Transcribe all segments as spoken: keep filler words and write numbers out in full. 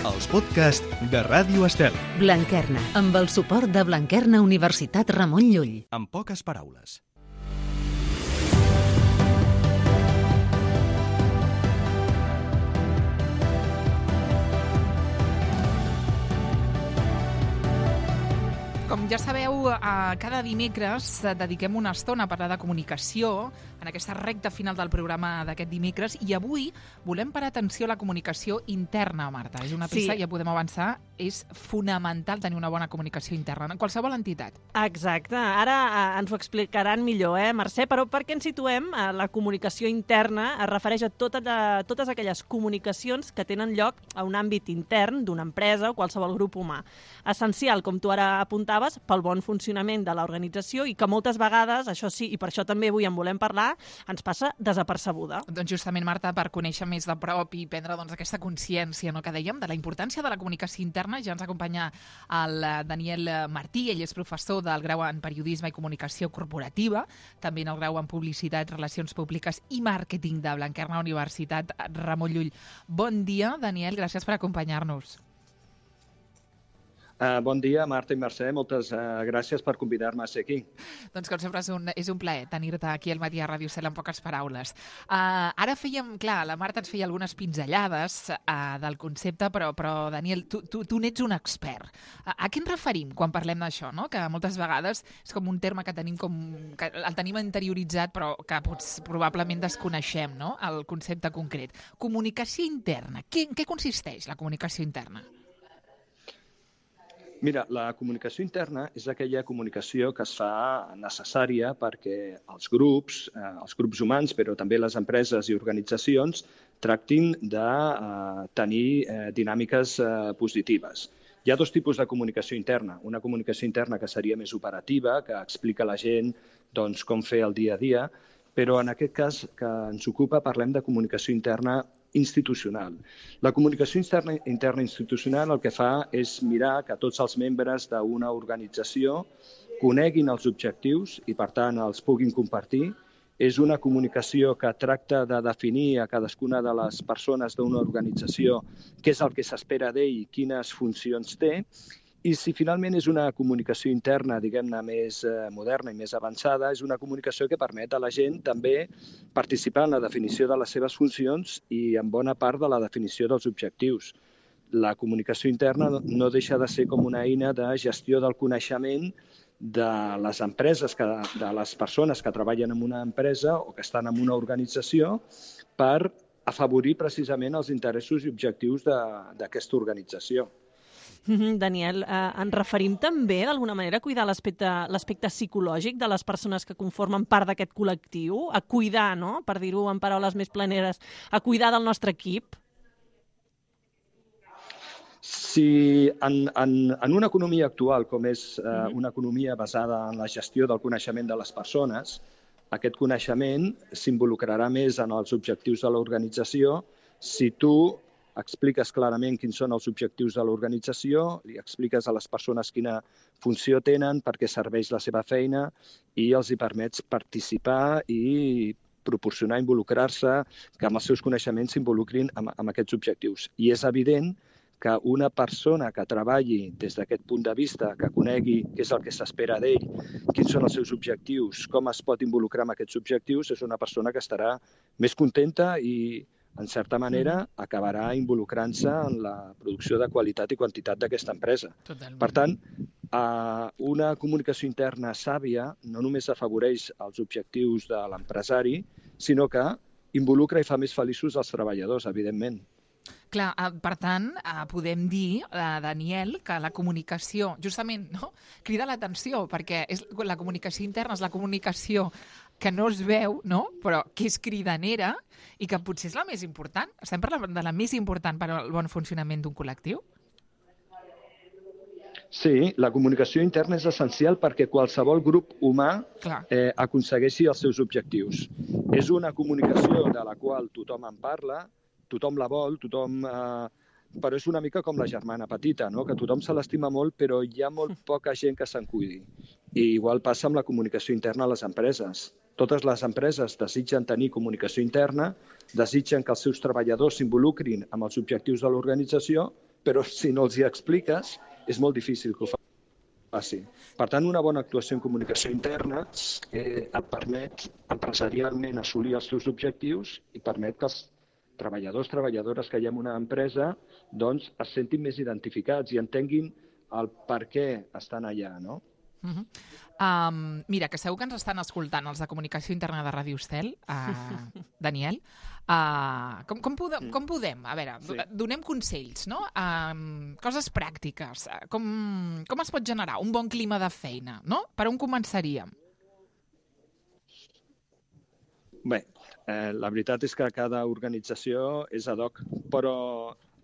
els podcasts de Ràdio Estel. Blanquerna, amb el suport de Blanquerna Universitat Ramon Llull. En poques paraules. Com ja sabeu, cada dimecres dediquem una estona a parlar de comunicació en aquesta recta final del programa d'aquest dimecres, i avui volem parar atenció a la comunicació interna, Marta. És una pista, sí. Ja podem avançar, és fonamental tenir una bona comunicació interna en qualsevol entitat. Exacte. Ara eh, ens ho explicaran millor, eh, Mercè? Però per què ens situem? Eh, la comunicació interna es refereix a totes, a totes aquelles comunicacions que tenen lloc a un àmbit intern d'una empresa o qualsevol grup humà. Essencial, com tu ara apuntaves, pel bon funcionament de l'organització i que moltes vegades, això sí, i per això també avui en volem parlar, ens passa desapercebuda. Doncs justament, Marta, per conèixer més de prop i prendre doncs, aquesta consciència, no, que dèiem, de la importància de la comunicació interna, ja ens acompanya el Daniel Martí. Ell és professor del grau en Periodisme i Comunicació Corporativa, també en el grau en Publicitat, Relacions Públiques i Màrqueting de Blanquerna Universitat Ramon Llull. Bon dia, Daniel, gràcies per acompanyar-nos. Uh, bon dia, Marta i Mercè. Moltes uh, gràcies per convidar-me a ser aquí. Doncs com sempre és un, és un plaer tenir-te aquí al matí a Ràdio Estel en poques paraules. Uh, ara fèiem, clar, la Marta ens feia algunes pinzellades uh, del concepte, però, però Daniel, tu, tu, tu n'ets un expert. Uh, a què ens referim quan parlem d'això, no? Que moltes vegades és com un terme que tenim com que el tenim interioritzat, però que pots, probablement desconeixem, no? El concepte concret. Comunicació interna. Què, en què consisteix la comunicació interna? Mira, la comunicació interna és aquella comunicació que es fa necessària perquè els grups, eh, els grups humans, però també les empreses i organitzacions, tractin de eh, tenir eh, dinàmiques eh, positives. Hi ha dos tipus de comunicació interna. Una comunicació interna que seria més operativa, que explica a la gent doncs, com fer el dia a dia, però en aquest cas que ens ocupa parlem de comunicació interna institucional. La comunicació interna, interna institucional el que fa és mirar que tots els membres d'una organització coneguin els objectius i, per tant, els puguin compartir. És una comunicació que tracta de definir a cadascuna de les persones d'una organització què és el que s'espera d'ell i quines funcions té. I si finalment és una comunicació interna, diguem-ne, més eh, moderna i més avançada, és una comunicació que permet a la gent també participar en la definició de les seves funcions i en bona part de la definició dels objectius. La comunicació interna no deixa de ser com una eina de gestió del coneixement de les empreses, que, de les persones que treballen en una empresa o que estan en una organització per afavorir precisament els interessos i objectius d'aquesta organització. Daniel, eh, ens referim també d'alguna manera a cuidar l'aspecte l'aspecte psicològic de les persones que conformen part d'aquest col·lectiu, a cuidar, no?, per dir-ho en paraules més planeres, a cuidar del nostre equip? Si en, en, en una economia actual, com és eh, una economia basada en la gestió del coneixement de les persones, aquest coneixement s'involucrarà més en els objectius de l'organització si tu expliques clarament quins són els objectius de l'organització, li expliques a les persones quina funció tenen, per què serveix la seva feina i els hi permets participar i proporcionar, involucrar-se, que amb els seus coneixements s'involucrin amb, amb aquests objectius. I és evident que una persona que treballi des d'aquest punt de vista, que conegui què és el que s'espera d'ell, quins són els seus objectius, com es pot involucrar amb aquests objectius, és una persona que estarà més contenta i en certa manera, acabarà involucrant-se en la producció de qualitat i quantitat d'aquesta empresa. Totalment. Per tant, una comunicació interna sàvia no només afavoreix els objectius de l'empresari, sinó que involucra i fa més feliços els treballadors, evidentment. Clar, per tant, podem dir, Daniel, que la comunicació, justament, no?, crida l'atenció, perquè és, la comunicació interna és la comunicació que no es veu, no?, però que és cridanera i que potser és la més important. Estem parlant de la més important per al bon funcionament d'un col·lectiu? Sí, la comunicació interna és essencial perquè qualsevol grup humà eh, aconsegueixi els seus objectius. És una comunicació de la qual tothom en parla, tothom la vol, tothom... Eh, però és una mica com la germana petita, no?, que tothom se l'estima molt, però hi ha molt poca gent que se'n cuidi. I igual passa amb la comunicació interna a les empreses. Totes les empreses desitgen tenir comunicació interna, desitgen que els seus treballadors s'involucrin amb els objectius de l'organització, però si no els hi expliques, és molt difícil que ho faci. Per tant, una bona actuació en comunicació interna eh, et permet empresarialment assolir els teus objectius i permet que els treballadors, treballadores que hi ha en una empresa doncs, es sentin més identificats i entenguin el per què estan allà, no? Uh-huh. Um, mira, que segur que ens estan escoltant els de comunicació interna de Ràdio Estel, uh, Daniel. Uh, com, com, podem, com podem? A veure, sí. donem consells, no? Um, coses pràctiques. Com, com es pot generar un bon clima de feina, no? Per on començaríem? Bé, eh, la veritat és que cada organització és ad hoc, però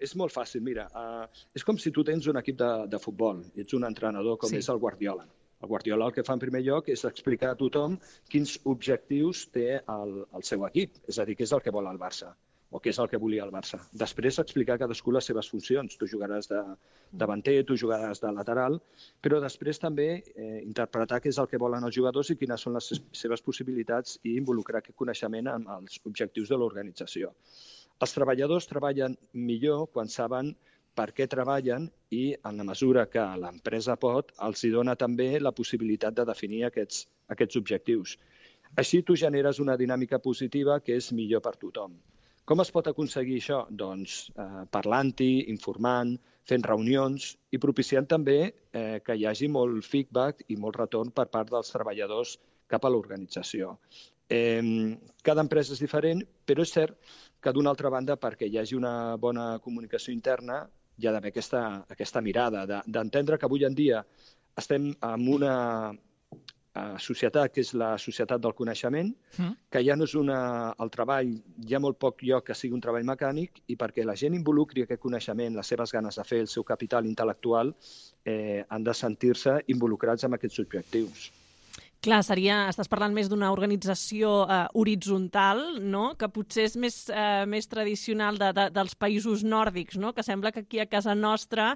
és molt fàcil. Mira, eh, és com si tu tens un equip de, de futbol i ets un entrenador com sí. és el Guardiola. El Guardiola el que fa en primer lloc és explicar a tothom quins objectius té el, el seu equip, és a dir, què és el que vol el Barça o què és el que volia el Barça. Després explicar a cadascú les seves funcions. Tu jugaràs de davanter, tu jugaràs de lateral, però després també eh, interpretar què és el que volen els jugadors i quines són les seves possibilitats i involucrar aquest coneixement en els objectius de l'organització. Els treballadors treballen millor quan saben per què treballen i, en la mesura que l'empresa pot, els hi dona també la possibilitat de definir aquests, aquests objectius. Així tu generes una dinàmica positiva que és millor per tothom. Com es pot aconseguir això? Doncs eh, parlant-hi, informant, fent reunions i propiciant també eh, que hi hagi molt feedback i molt retorn per part dels treballadors cap a l'organització. Eh, cada empresa és diferent, però és cert que d'una altra banda, perquè hi hagi una bona comunicació interna, hi ha d'haver aquesta, aquesta mirada, d'entendre que avui en dia estem en una societat que és la societat del coneixement, mm. que ja no és una, el treball, hi ha molt poc lloc que sigui un treball mecànic i perquè la gent involucri aquest coneixement, les seves ganes de fer, el seu capital intel·lectual, eh, han de sentir-se involucrats en aquests objectius. Clar, seria, estàs parlant més d'una organització eh, horitzontal, no? Que potser és més, eh, més tradicional de, de, dels països nòrdics, no? Que sembla que aquí a casa nostra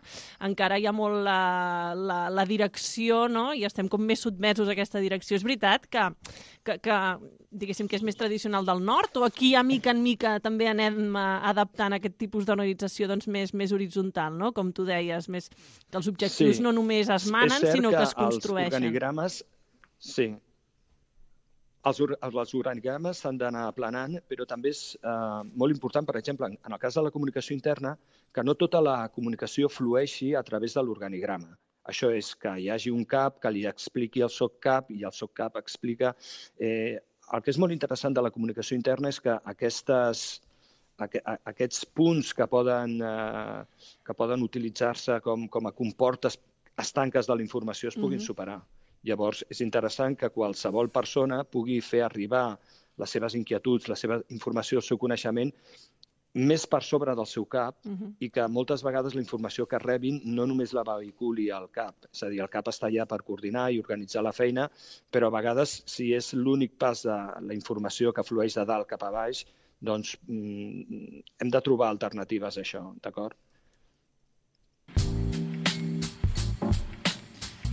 encara hi ha molt la, la, la direcció, no? I estem com més sotmesos a aquesta direcció. És veritat que, que, que diguéssim que és més tradicional del nord o aquí a mica en mica també anem adaptant aquest tipus d'organització doncs, més, més horitzontal, no? Com tu deies, més, que els objectius sí. no només es manen, sinó que, que es construeixen. Els organigrames Sí. Els, els organigrames s'han d'anar aplanant, però també és eh, molt important, per exemple, en el cas de la comunicació interna, que no tota la comunicació flueixi a través de l'organigrama. Això és que hi hagi un cap que li expliqui el SOCCAP i el SOCCAP explica... Eh, el que és molt interessant de la comunicació interna és que aquestes, aquests punts que poden, eh, que poden utilitzar-se com, com a comportes estanques de la informació es puguin mm-hmm. superar. Llavors, és interessant que qualsevol persona pugui fer arribar les seves inquietuds, la seva informació, el seu coneixement, més per sobre del seu cap uh-huh. i que moltes vegades la informació que rebin no només la vehiculi al cap. És a dir, el cap està allà per coordinar i organitzar la feina, però a vegades, si és l'únic pas de la informació que flueix de dalt cap a baix, doncs mm, hem de trobar alternatives a això, d'acord?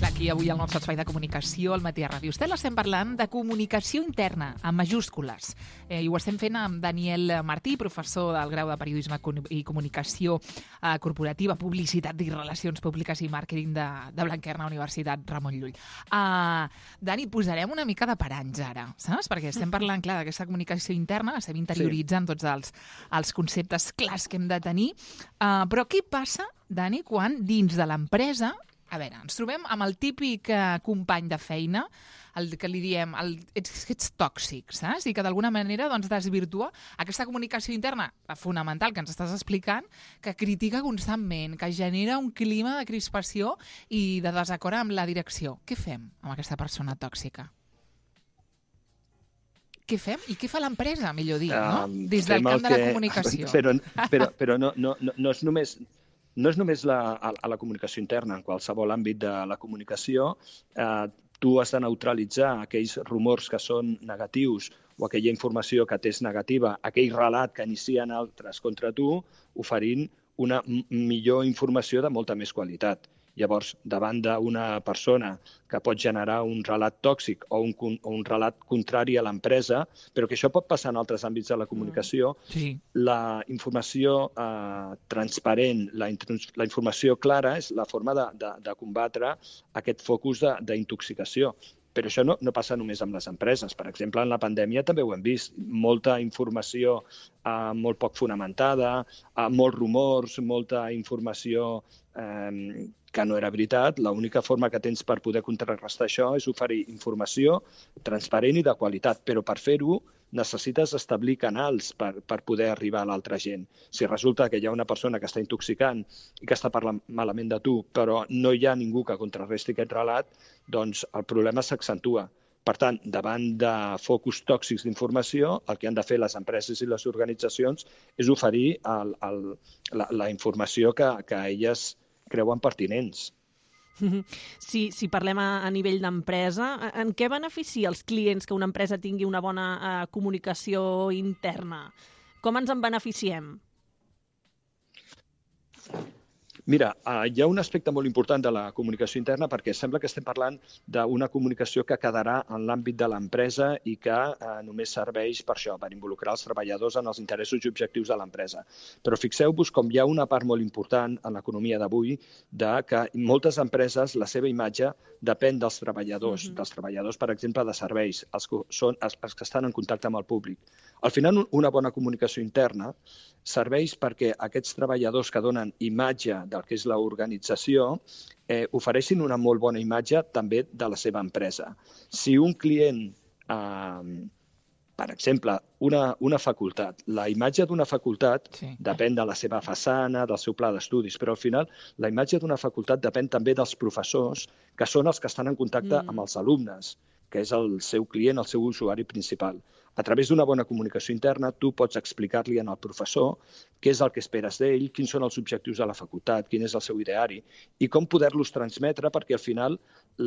Aquí avui al nostre espai de comunicació, al matí a Ràdio Estel, estem parlant de comunicació interna, amb majúscules. Eh, I ho estem fent amb Daniel Martí, professor del grau de Periodisme i Comunicació eh, Corporativa, Publicitat i Relacions Públiques i Màrqueting de, de Blanquerna, Universitat Ramon Llull. Uh, Dani, posarem una mica de paranys ara, saps? Perquè estem parlant, clar, d'aquesta comunicació interna, estem interioritzant sí. tots els, els conceptes clars que hem de tenir. Uh, però què passa, Dani, quan dins de l'empresa a veure, ens trobem amb el típic eh, company de feina, el que li diem, el, ets, ets tòxic, saps? I que d'alguna manera doncs, desvirtua aquesta comunicació interna fonamental que ens estàs explicant, que critica constantment, que genera un clima de crispació i de desacord amb la direcció. Què fem amb aquesta persona tòxica? Què fem? I què fa l'empresa, millor dir, no? Des del camp de la comunicació. Però, però, però no, no, no, no és només... No és només la, a, a la comunicació interna, en qualsevol àmbit de la comunicació, eh, tu has de neutralitzar aquells rumors que són negatius o aquella informació que t'és negativa, aquell relat que inicien altres contra tu, oferint una millor informació de molta més qualitat. Llavors, davant d'una persona que pot generar un relat tòxic o un, o un relat contrari a l'empresa, però que això pot passar en altres àmbits de la comunicació, Sí. la informació eh, transparent, la, la informació clara és la forma de, de, de combatre aquest focus d'intoxicació. Però això no, no passa només amb les empreses. Per exemple, en la pandèmia també ho hem vist. Molta informació eh, molt poc fonamentada, eh, molts rumors, molta informació eh, que no era veritat. L'única forma que tens per poder contrarrestar això és oferir informació transparent i de qualitat, però per fer-ho necessites establir canals per, per poder arribar a l'altra gent. Si resulta que hi ha una persona que està intoxicant i que està parlant malament de tu, però no hi ha ningú que contrarresti aquest relat, doncs el problema s'accentua. Per tant, davant de focus tòxics d'informació, el que han de fer les empreses i les organitzacions és oferir el, el, la, la informació que, que elles creuen pertinents. Si, si parlem a, a nivell d'empresa, en què beneficia els clients que una empresa tingui una bona uh, comunicació interna? Com ens en beneficiem? Mira, eh, hi ha un aspecte molt important de la comunicació interna perquè sembla que estem parlant d'una comunicació que quedarà en l'àmbit de l'empresa i que eh, només serveix per això, per involucrar els treballadors en els interessos i objectius de l'empresa. Però fixeu-vos com hi ha una part molt important en l'economia d'avui de que moltes empreses, la seva imatge depèn dels treballadors, mm-hmm. dels treballadors, per exemple, de serveis, els que, són, els, els que estan en contacte amb el públic. Al final, una bona comunicació interna serveix perquè aquests treballadors que donen imatge del que és l'organització eh, ofereixin una molt bona imatge també de la seva empresa. Si un client, eh, per exemple, una, una facultat, la imatge d'una facultat sí. depèn de la seva façana, del seu pla d'estudis, però al final la imatge d'una facultat depèn també dels professors, que són els que estan en contacte mm. amb els alumnes, que és el seu client, el seu usuari principal. A través d'una bona comunicació interna, tu pots explicar-li al professor què és el que esperes d'ell, quins són els objectius de la facultat, quin és el seu ideari i com poder-los transmetre perquè al final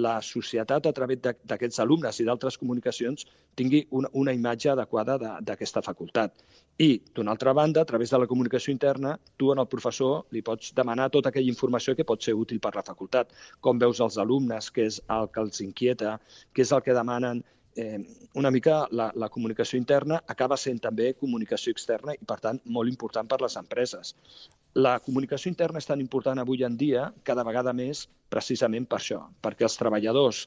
la societat a través d'aquests alumnes i d'altres comunicacions tingui una, una imatge adequada d'aquesta facultat. I, d'una altra banda, a través de la comunicació interna, tu al professor li pots demanar tota aquella informació que pot ser útil per la facultat. Com veus els alumnes, què és el que els inquieta, què és el que demanen. Eh, una mica la, la comunicació interna acaba sent també comunicació externa i, per tant, molt important per les empreses. La comunicació interna és tan important avui en dia cada vegada més precisament per això, perquè els treballadors